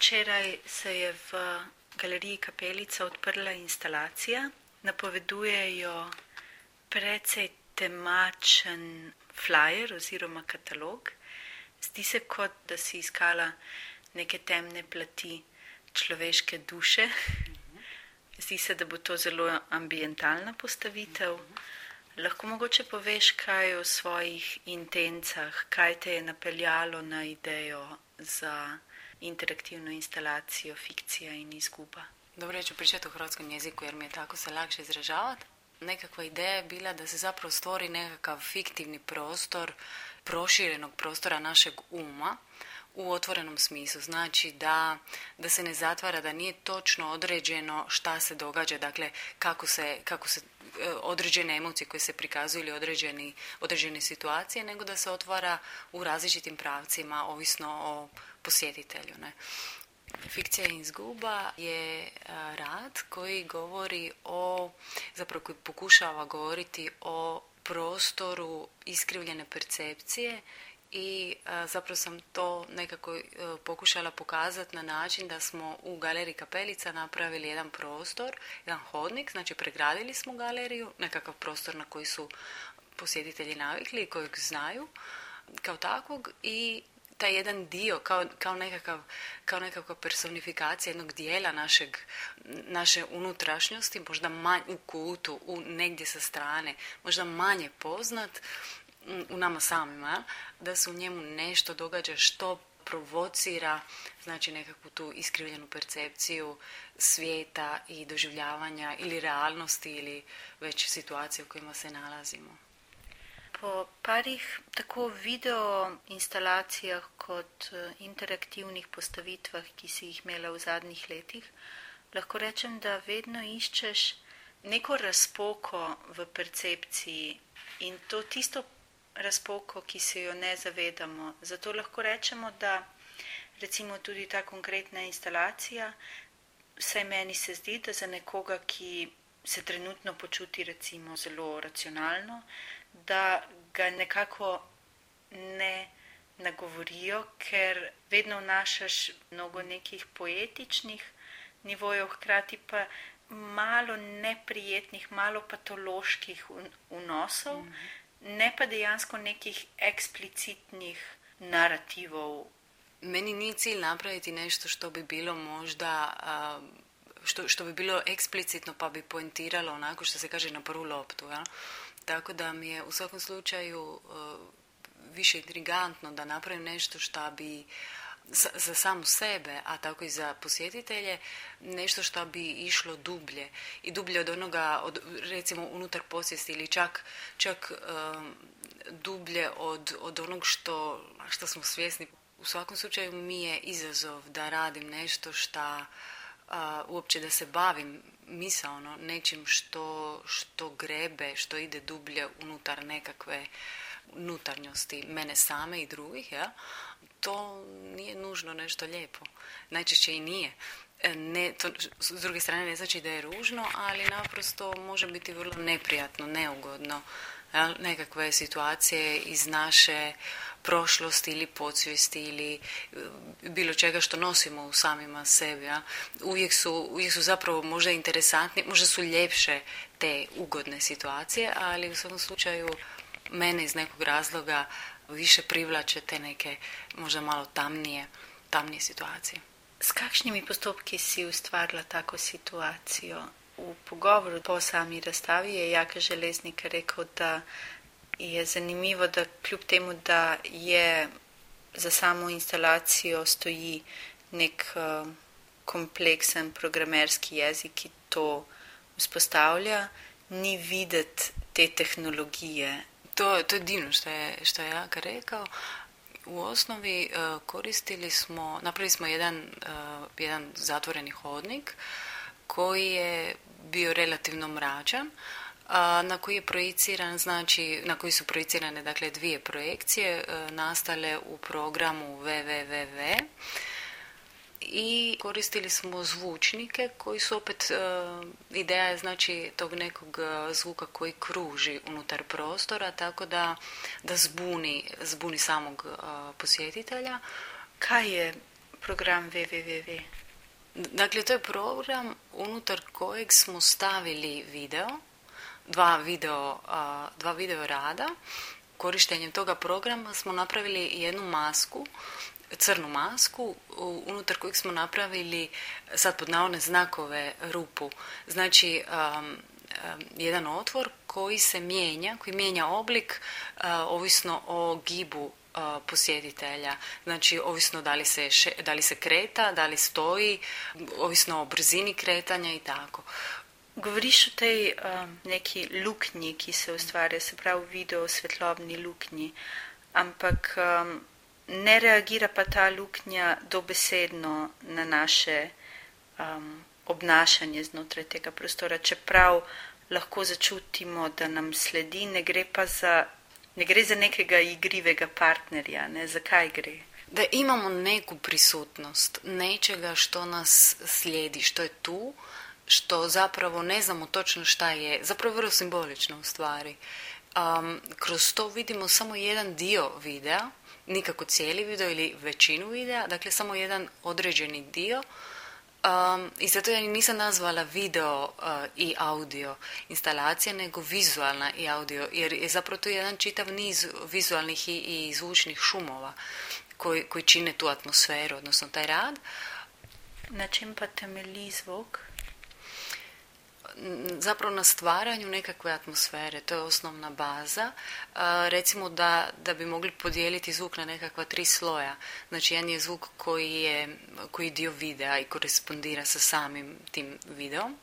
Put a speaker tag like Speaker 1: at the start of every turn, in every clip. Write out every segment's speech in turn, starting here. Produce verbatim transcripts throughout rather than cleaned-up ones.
Speaker 1: Včeraj se je v galeriji Kapelica odprla instalacija. Napovedujejo precej temačen flyer oziroma katalog. Zdi se, kot da si iskala neke temne plati človeške duše. Zdi se, da bo to zelo ambientalna postavitev. Lahko mogoče poveš kaj o svojih intencah, kaj te je napeljalo na idejo za interaktivnu instalacijo Fikcija in izguba.
Speaker 2: Dobro, ja ću pričati u hrvatskom jeziku jer mi je tako se lakše izražavati. Nekakva ideja je bila da se zapravo stvori nekakav fiktivni prostor, proširenog prostora našeg uma u otvorenom smislu. Znači da, da se ne zatvara, da nije točno određeno šta se događa, dakle kako se, kako se određene emocije koje se prikazuju ili određeni, određene situacije, nego da se otvara u različitim pravcima, ovisno o posjetitelju. Ne? Fikcija i izguba je rad koji govori o, zapravo koji pokušava govoriti o prostoru iskrivljene percepcije i a, zapravo sam to nekako a, pokušala pokazati na način da smo u galeriji Kapelica napravili jedan prostor, jedan hodnik, znači pregradili smo galeriju, nekakav prostor na koji su posjetitelji navikli i kojeg znaju kao takvog i taj jedan dio, kao, kao, nekakav, kao nekakva personifikacija jednog dijela našeg, naše unutrašnjosti, možda manj, u kutu, u negdje sa strane, možda manje poznat u nama samima, da se u njemu nešto događa što provocira, znači nekakvu tu iskrivljenu percepciju svijeta i doživljavanja ili realnosti ili već situacije u kojima se nalazimo.
Speaker 1: Po parih tako video instalacijah kot interaktivnih postavitvah, ki si jih imela v zadnjih letih, lahko rečem, da vedno iščeš neko razpoko v percepciji in to tisto razpoko, ki se jo ne zavedamo. Zato lahko rečemo, da recimo tudi ta konkretna instalacija, vsaj meni se zdi, da za nekoga, ki se trenutno počuti recimo zelo racionalno, da ga nekako ne nagovorijo, ker vedno vnašaš mnogo nekih poetičnih nivojev, hkrati pa malo neprijetnih, malo patoloških vnosov, mm-hmm. ne pa dejansko nekih eksplicitnih narativov.
Speaker 2: Meni nije cilj napraviti nešto što bi bilo možda... Uh... Što, što bi bilo eksplicitno pa bi poentiralo onako što se kaže na prvu loptu. Ja? Tako da mi je u svakom slučaju uh, više intrigantno da napravim nešto što bi za, za samu sebe, a tako i za posjetitelje, nešto što bi išlo dublje. I dublje od onoga, od, recimo unutar posvijesti ili čak, čak uh, dublje od, od onog što, što smo svjesni. U svakom slučaju mi je izazov da radim nešto što Uh, uopće da se bavim misaono nečim što, što grebe, što ide dublje unutar nekakve unutarnjosti mene same i drugih, ja? To nije nužno nešto lijepo. Najčešće i nije. Ne, to, s druge strane ne znači da je ružno, ali naprosto može biti vrlo neprijatno, neugodno. Ja? Nekakve situacije iz naše prošlosti ili podsvijesti ili bilo čega što nosimo u samima sebi. Ja? Uvijek su, uvijek su zapravo možda interesantni, možda su ljepše te ugodne situacije, ali u svakom slučaju mene iz nekog razloga više privlače te neke možda malo tamnije, tamnije situacije.
Speaker 1: S kakšnimi postopki si ustvarila tako situacijo? V pogovoru po sami razstavi je Jaka Železnik rekel, da je zanimivo, da kljub temu, da je za samo instalacijo stoji nek uh, kompleksen programerski jezik, ki to vzpostavlja, ni videti te tehnologije.
Speaker 2: To, to je divno što je, što je Jaka rekao. U osnovi uh, koristili smo, napravili smo jedan, uh, jedan zatvoreni hodnik koji je bio relativno mračan, na koji je projiciran, znači na koji su projicirane dakle dvije projekcije e, nastale u programu ve ve ve ve i koristili smo zvučnike koji su opet e, ideja je znači tog nekog zvuka koji kruži unutar prostora, tako da, da zbuni, zbuni samog e, posjetitelja.
Speaker 1: Kaj je program W W W?
Speaker 2: Dakle, to je program unutar kojeg smo stavili video, dva video, dva video rada. Korištenjem toga programa smo napravili jednu masku, crnu masku, unutar kojeg smo napravili, sad pod navodne znakove, rupu. Znači, um, um, jedan otvor koji se mijenja, koji mijenja oblik uh, ovisno o gibu uh, posjetitelja. Znači, ovisno da li se, še, da li se kreta, da li stoji, ovisno o brzini kretanja i tako.
Speaker 1: Govoriš o tej um, neki luknji, ki se ustvarja, se pravi video svetlobni luknji, ampak um, ne reagira pa ta luknja dobesedno na naše um, obnašanje znotraj tega prostora, čeprav lahko začutimo, da nam sledi, ne gre pa za, ne gre za nekega igrivega partnerja, ne, zakaj gre?
Speaker 2: Da imamo neku prisutnost, nečega što nas slijedi, što je tu, što zapravo ne znamo točno šta je, zapravo vrlo simbolično u stvari. Um, kroz to vidimo samo jedan dio videa, nikako cijeli video ili većinu videa, dakle samo jedan određeni dio. Um, I zato ja nisam nazvala video uh, i audio instalacija, nego vizualna i audio, jer je zapravo to jedan čitav niz vizualnih i, i zvučnih šumova koji, koji čine tu atmosferu, odnosno taj rad.
Speaker 1: Na čem pa temelji zvuk?
Speaker 2: Zapravo na stvaranju nekakve atmosfere, to je osnovna baza. E, recimo da, da bi mogli podijeliti zvuk na nekakva tri sloja. Znači, jedan je zvuk koji je, koji je dio videa i korespondira sa samim tim videom.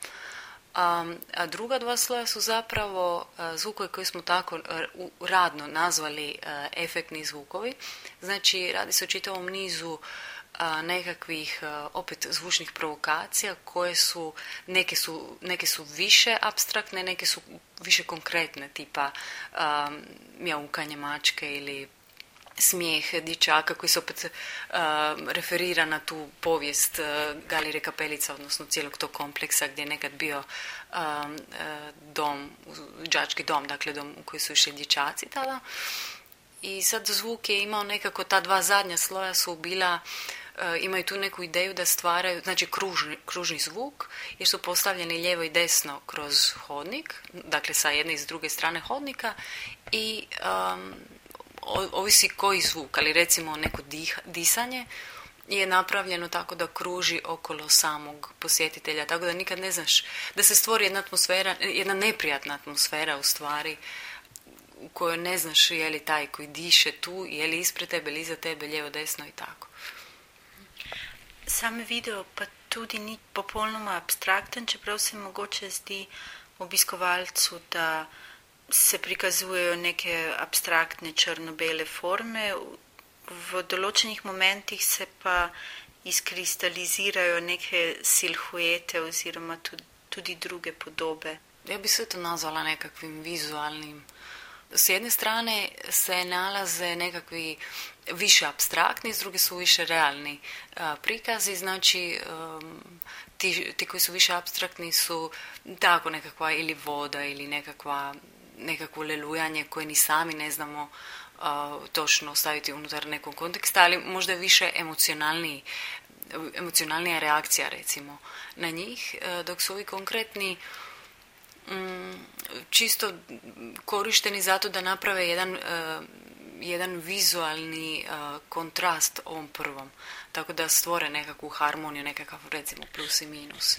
Speaker 2: A, a druga dva sloja su zapravo zvukovi koji smo tako radno nazvali a, efektni zvukovi. Znači, radi se o čitavom nizu nekakvih opet zvučnih provokacija koje su neke su, neke su više apstraktne, neke su više konkretne, tipa um, mjaukanje mačke ili smijeh dječaka koji se opet uh, referira na tu povijest uh, Galire Kapelica, odnosno cijelog tog kompleksa gdje je nekad bio um, uh, dom, đački dom, dakle dom u koji su išli dječaci tada. I sad zvuk je imao nekako, ta dva zadnja sloja su bila, e, imaju tu neku ideju da stvaraju, znači kružni, kružni zvuk, jer su postavljeni lijevo i desno kroz hodnik, dakle sa jedne i s druge strane hodnika i um, ovisi koji zvuk, ali recimo neko dih, disanje je napravljeno tako da kruži okolo samog posjetitelja, tako da nikad ne znaš, da se stvori jedna atmosfera, jedna neprijatna atmosfera u stvari, u kojoj ne znaš je li taj koji diše tu, je li ispred tebe ili iza tebe, lijevo, desno i tako.
Speaker 1: Sam video pa tudi ni popolnoma abstrakten, čeprav se mogoče zdi obiskovalcu, da se prikazujejo neke abstraktne črno-bele forme, v določenih momentih se pa izkristalizirajo neke silhuete oziroma tudi, tudi druge podobe.
Speaker 2: Ja bi sve to nazvala nekakvim vizualnim. S jedne strane se nalaze nekakvi više apstraktni, s druge su više realni a, prikazi, znači um, ti, ti koji su više apstraktni su tako nekakva ili voda ili nekakva, nekakvo lelujanje koje ni sami ne znamo a, točno staviti unutar nekog konteksta, ali možda je više emocionalniji, emocionalnija reakcija recimo na njih, a, dok su ovi konkretni čisto korišteni zato da naprave jedan, uh, jedan vizualni uh, kontrast ovom prvom. Tako da stvore nekakvu harmoniju, nekakav recimo plus i minus.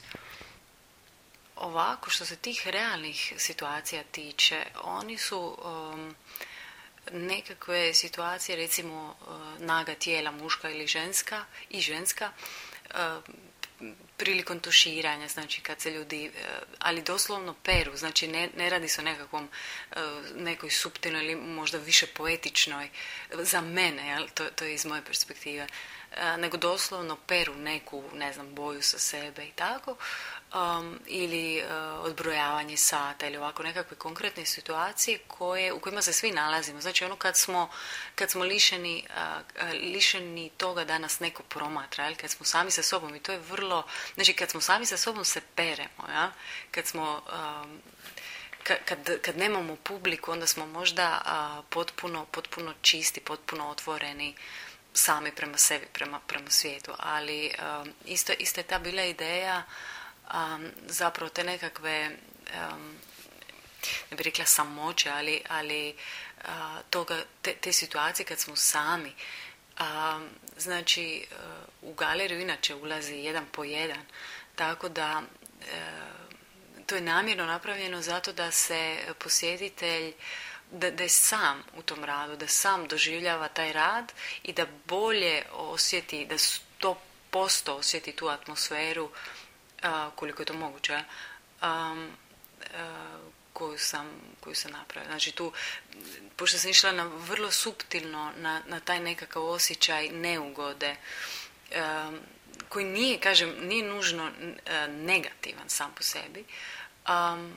Speaker 2: Ovako, što se tih realnih situacija tiče, oni su um, nekakve situacije, recimo uh, naga tijela, muška ili ženska i ženska, uh, prilikom tuširanja, znači kad se ljudi, ali doslovno peru, znači ne, ne radi se o nekakvom, nekoj suptilnoj ili možda više poetičnoj, za mene, jel, to, to je iz moje perspektive, nego doslovno peru neku, ne znam, boju sa sebe i tako, um, ili uh, odbrojavanje sata ili ovako nekakve konkretne situacije koje, u kojima se svi nalazimo. Znači ono kad smo, kad smo lišeni, uh, lišeni toga da nas neko promatra, jel? Kad smo sami sa sobom i to je vrlo, znači kad smo sami sa sobom se peremo, ja? Kad smo um, Kad, kad nemamo publiku, onda smo možda a, potpuno, potpuno čisti, potpuno otvoreni sami prema sebi, prema, prema svijetu. Ali um, isto, isto je ta bila ideja um, zapravo te nekakve, um, ne bih rekla samoće, ali, ali uh, toga, te, te situacije kad smo sami. Um, znači, uh, u galeriju inače ulazi jedan po jedan, tako da uh, to je namjerno napravljeno zato da se posjetitelj Da, da je sam u tom radu, da sam doživljava taj rad i da bolje osjeti, da sto posto osjeti tu atmosferu a, koliko je to moguće a, a, koju sam, koju sam napravila. Znači tu, pošto sam išla na vrlo suptilno na, na taj nekakav osjećaj neugode a, koji nije, kažem, nije nužno a, negativan sam po sebi, a,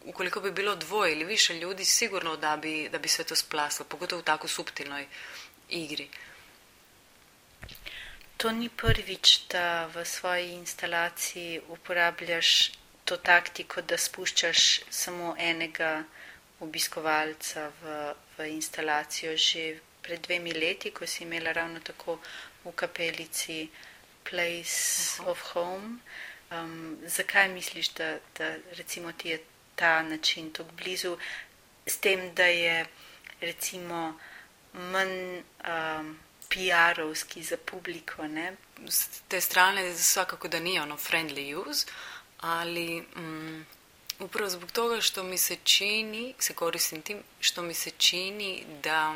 Speaker 2: ukoliko bi bilo dvoje ili više ljudi, sigurno da bi, da bi sve to splaslo, pogotovo u tako suptilnoj igri.
Speaker 1: To ni prvič, da v svoji instalaciji uporabljaš to taktiko, da spuščaš samo enega obiskovalca v, v instalacijo. Že pred dvemi leti, ko si imela ravno tako v kapelici Place uh-huh. of Home, um, zakaj misliš, da, da recimo ti je ta način tako blizu, s tem, da je recimo manj um, P R-ovski za publiko, ne?
Speaker 2: S te strane svakako da nije ono friendly use, ali mm, upravo zbog toga što mi se čini, se koristim tim, što mi se čini da,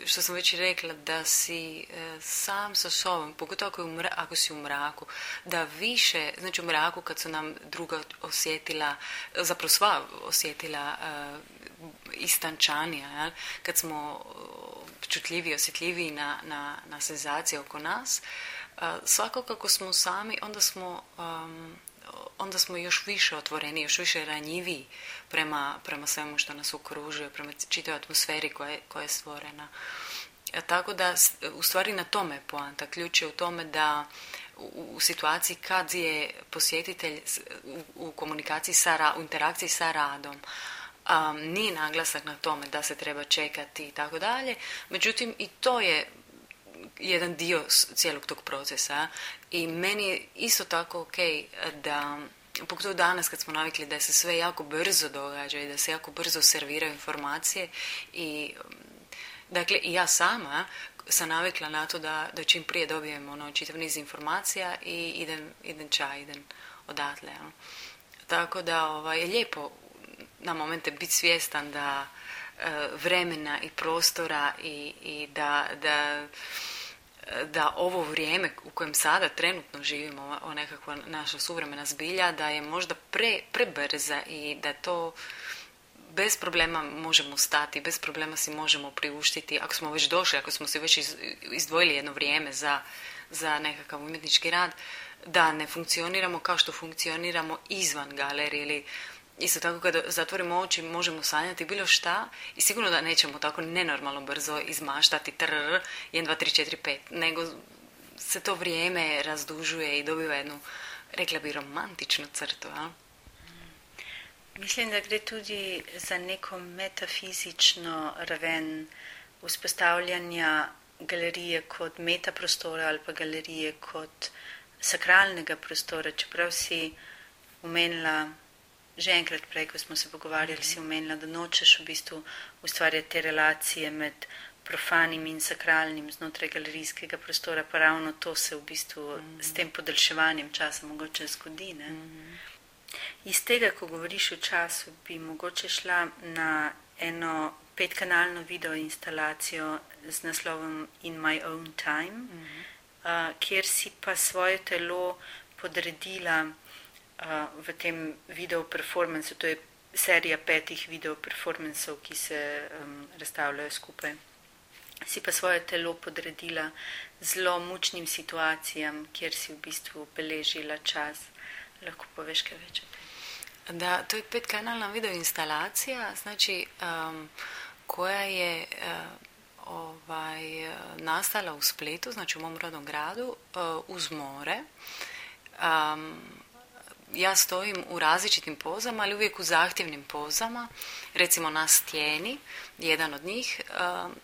Speaker 2: što sam već rekla, da si e, sam sa sobom, pogotovo ako, mra, ako si u mraku, da više, znači u mraku kad su nam druga osjetila, zapravo sva osjetila e, istančanija, ja? Kad smo čutljiviji, osjetljiviji na, na, na senzacije oko nas, e, svako kako smo sami, onda smo... Um, onda smo još više otvoreni, još više ranjiviji prema, prema svemu što nas okružuje, prema čitavoj atmosferi koja je, koja je stvorena. E, tako da, u stvari na tome je poanta. Ključ je u tome da u, u situaciji kad je posjetitelj u, u komunikaciji sa, u interakciji sa radom, um, nije naglasak na tome da se treba čekati i tako dalje, međutim i to je jedan dio cijelog tog procesa i meni je isto tako ok da, pogotovo danas kad smo navikli da se sve jako brzo događa i da se jako brzo serviraju informacije i dakle i ja sama sam navikla na to da, da čim prije dobijem ono čitav niz informacija i idem, idem čaj, idem odatle. Ja. Tako da ovaj, je lijepo na momente biti svjestan da vremena i prostora i, i da, da, da ovo vrijeme u kojem sada trenutno živimo, o nekakva naša suvremena zbilja, da je možda pre, prebrza i da to bez problema možemo stati, bez problema si možemo priuštiti, ako smo već došli, ako smo si već izdvojili jedno vrijeme za, za nekakav umjetnički rad, da ne funkcioniramo kao što funkcioniramo izvan galerije ili isto tako kada zatvorimo oči možemo sanjati bilo šta i sigurno da nećemo tako nenormalno brzo izmaštati trrr, jedan, dva, tri, četiri, pet, nego se to vrijeme razdužuje i dobiva jednu, rekla bi, romantičnu crtu. A?
Speaker 1: Mislim, da gre tudi za neko metafizično raven vzpostavljanja galerije kot metaprostora ali pa galerije kot sakralnega prostora, čeprav si omenila že enkrat prej, ko smo se pogovarjali, mm-hmm. si omenila, da nočeš v bistvu ustvarjati te relacije med profanim in sakralnim znotraj galerijskega prostora, pa ravno to se v bistvu mm-hmm. s tem podaljševanjem časa mogoče zgodi. Ne? Mm-hmm. Iz tega, ko govoriš o času, bi mogoče šla na eno petkanalno video instalacijo z naslovom In My Own Time, mm-hmm. uh, kjer si pa svoje telo podredila uh, v tem video performansu. To je serija petih video performansov, ki se um, razstavljajo skupaj. Si pa svoje telo podredila zelo mučnim situacijam, kjer si v bistvu beležila čas. Lahko poveš kaj več o tem?
Speaker 2: Da, to je petkanalna video instalacija, znači um, koja je uh, ovaj, nastala u Splitu, znači u mom rodnom gradu, uh, uz more. Um, ja stojim u različitim pozama, ali uvijek u zahtjevnim pozama, recimo na stijeni, jedan od njih. Um,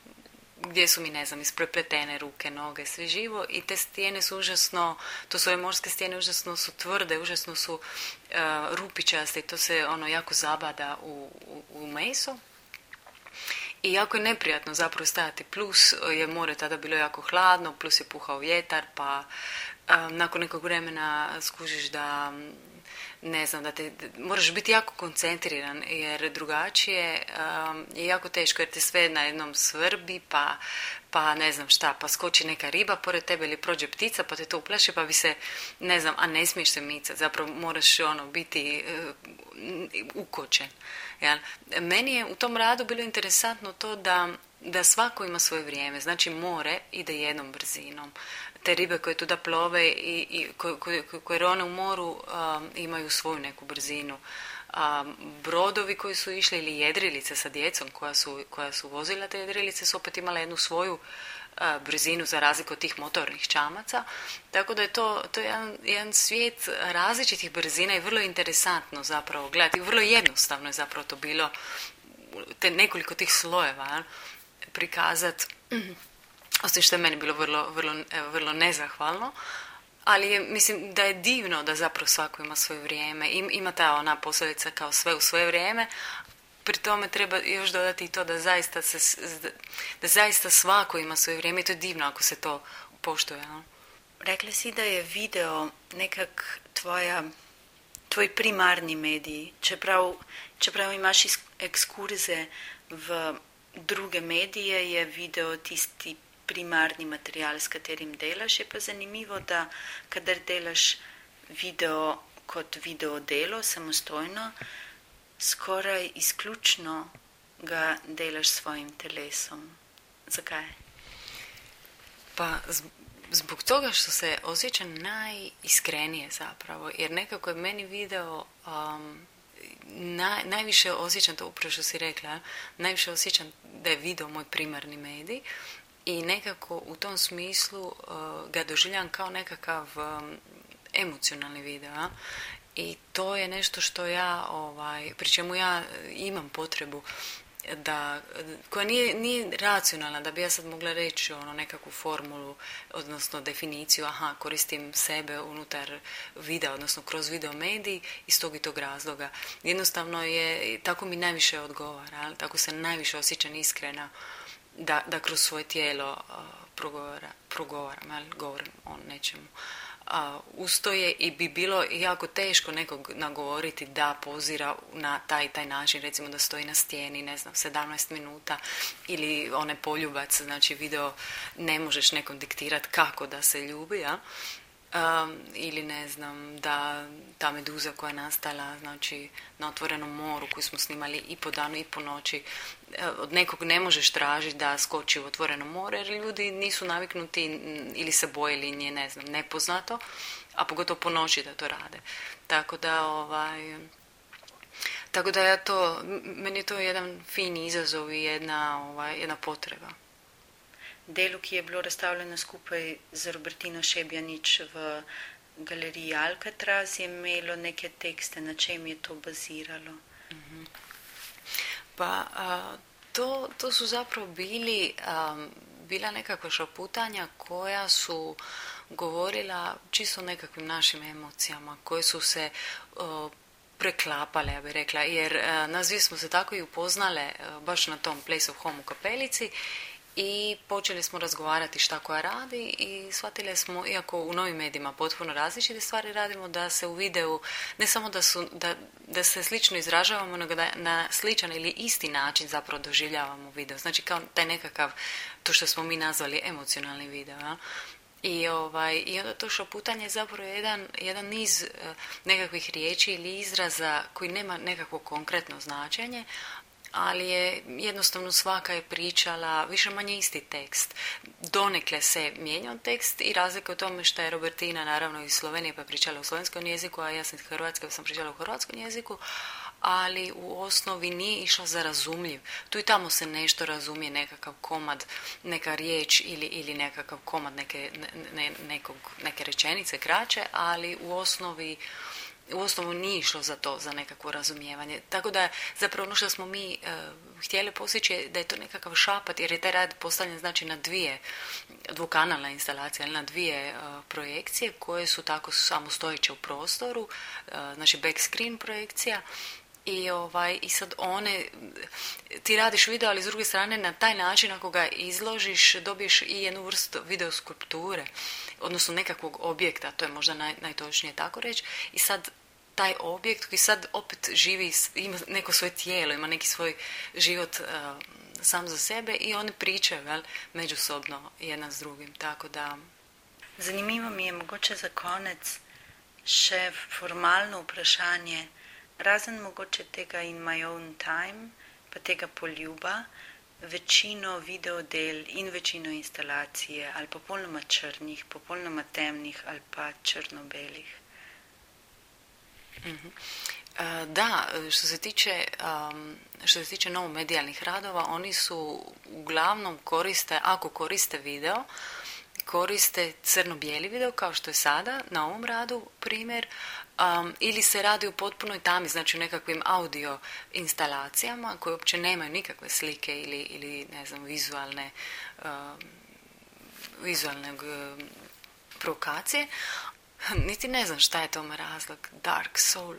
Speaker 2: gdje su mi, ne znam, isprepletene ruke, noge, sve živo i te stijene su užasno, to su ove morske stijene, užasno su tvrde, užasno su uh, rupičaste i to se ono jako zabada u, u, u meso. I jako je neprijatno zapravo stajati, plus je more tada bilo jako hladno, plus je puhao vjetar, pa um, nakon nekog vremena skužiš da, ne znam, da te, moraš biti jako koncentriran, jer drugačije um, je jako teško, jer te sve na jednom svrbi, pa, pa ne znam šta, pa skoči neka riba pored tebe ili prođe ptica, pa te to uplaši, pa bi se, ne znam, a ne smiješ se micati, zapravo moraš ono biti uh, ukočen. Ja. Meni je u tom radu bilo interesantno to da, da svako ima svoje vrijeme. Znači more ide jednom brzinom. Te ribe koje tuda plove i, i koje, koje, koje rone u moru um, imaju svoju neku brzinu. Um, brodovi koji su išli ili jedrilice sa djecom koja su, koja su vozila te jedrilice su opet imale jednu svoju uh, brzinu za razliku od tih motornih čamaca. Tako da je to, to je jedan, jedan svijet različitih brzina i vrlo interesantno zapravo gledati. Vrlo jednostavno je zapravo to bilo te nekoliko tih slojeva prikazati. Osim što je meni bilo vrlo, vrlo, vrlo nezahvalno. Ali je, mislim da je divno da zapravo svako ima svoje vrijeme. Ima ta ona poslovica kao sve u svoje vrijeme. Pri tome treba još dodati i to da zaista, se, da zaista svako ima svoje vrijeme i to je divno ako se to poštuje. No?
Speaker 1: Rekla si da je video nekak tvoja, tvoj primarni medij, čeprav, čeprav imaš ekskurze v druge medije, je video tisti primarni material, s katerim delaš. Je pa zanimivo, da kadar delaš video kot video delo, samostojno, skoraj izključno ga delaš svojim telesom. Zakaj?
Speaker 2: Pa zbog toga što se osjećam najiskrenije zapravo, jer nekako je meni video um, naj, najviše osjećam, to upravo što si rekla, najviše osjećam da je video moj primarni medij. I nekako u tom smislu uh, ga doživljam kao nekakav um, emocionalni video. A? I to je nešto što ja, ovaj, pri čemu ja imam potrebu da, koja nije, nije racionalna, da bi ja sad mogla reći ono, nekakvu formulu, odnosno definiciju, aha, koristim sebe unutar videa, odnosno kroz video medij iz tog i tog razloga. Jednostavno je, tako mi najviše odgovara, tako se najviše osjećam iskrena, Da, da kroz svoje tijelo uh, progovara, progovaram, ali govorim o nečemu. Uh, ustoje i bi bilo jako teško nekog nagovoriti da pozira na taj taj način, recimo da stoji na stijeni, ne znam, sedamnaest minuta ili onaj poljubac, znači video ne možeš nekom diktirati kako da se ljubi, ja? Um, ili ne znam, da ta meduza koja je nastala znači, na otvorenom moru koju smo snimali i po danu i po noći, od nekog ne možeš tražiti da skoči u otvoreno more jer ljudi nisu naviknuti ili se boje ili nje, ne znam, nepoznato, a pogotovo po noći da to rade. Tako da, ovaj, tako da ja to, meni je to jedan fin izazov i jedna, ovaj, jedna potreba.
Speaker 1: Delu, ki je bilo razstavljeno skupaj z Robertino Šebjanič v galeriji Alcatraz, je imelo neke tekste, na čem je to baziralo?
Speaker 2: Mm-hmm. Pa a, to, to su zapravo bili, a, bila nekakva šaputanja koja su govorila čisto o nekakvim našim emocijama, koje su se a, preklapale, ja bih rekla, jer a, nas dvije smo se tako i upoznale a, baš na tom Place of Home u Kapelici. I počeli smo razgovarati šta koja radi i shvatili smo, iako u novim medijima potpuno različite stvari radimo, da se u videu, ne samo da, su, da, da se slično izražavamo, nego da na sličan ili isti način zapravo doživljavamo video. Znači kao taj nekakav, to što smo mi nazvali emocionalni video. Ja? I, ovaj, I onda to šaputanje je zapravo jedan, jedan niz uh, nekakvih riječi ili izraza koji nema nekakvo konkretno značenje, ali je jednostavno svaka je pričala više manje isti tekst. Donekle se mijenjao tekst i razlika u tome što je Robertina naravno iz Slovenije pa pričala u slovenskom jeziku, a ja sam iz Hrvatske pa sam pričala u hrvatskom jeziku, ali u osnovi nije išla za razumljiv. Tu i tamo se nešto razumije, nekakav komad, neka riječ ili, ili nekakav komad neke, ne, nekog, neke rečenice kraće, ali u osnovi u osnovu nije išlo za to, za nekakvo razumijevanje. Tako da zapravo ono što smo mi e, htjeli postići je da je to nekakav šapat, jer je taj rad postavljen znači na dvije dvokanalna instalacija, na dvije e, projekcije koje su tako samostojeće u prostoru, e, znači backscreen projekcija. I, ovaj, I sad one, ti radiš video, ali s druge strane na taj način ako ga izložiš dobiješ i jednu vrstu video skulpture, odnosno nekakvog objekta, to je možda naj, najtočnije tako reći. I sad taj objekt koji sad opet živi, ima neko svoje tijelo, ima neki svoj život uh, sam za sebe i oni pričaju, vel, međusobno jedan s drugim, tako da...
Speaker 1: Zanimivo mi je mogoče za konec še formalno vprašanje, razen mogoče tega In My Own Time, pa tega poljuba, večino videodel in večino instalacije ali popolnoma črnih, popolnoma temnih ali pa črno-belih.
Speaker 2: Mm-hmm. Da, što se tiče, um, što se tiče novomedijalnih radova, oni su uglavnom koriste, ako koriste video, koriste crno-bijeli video kao što je sada na ovom radu primjer, um, ili se radi u potpunoj tami, znači u nekakvim audio instalacijama koje uopće nemaju nikakve slike ili, ili ne znam, vizualne um, vizualne um, provokacije. Niti ne znam šta je tome razlog, Dark Soul.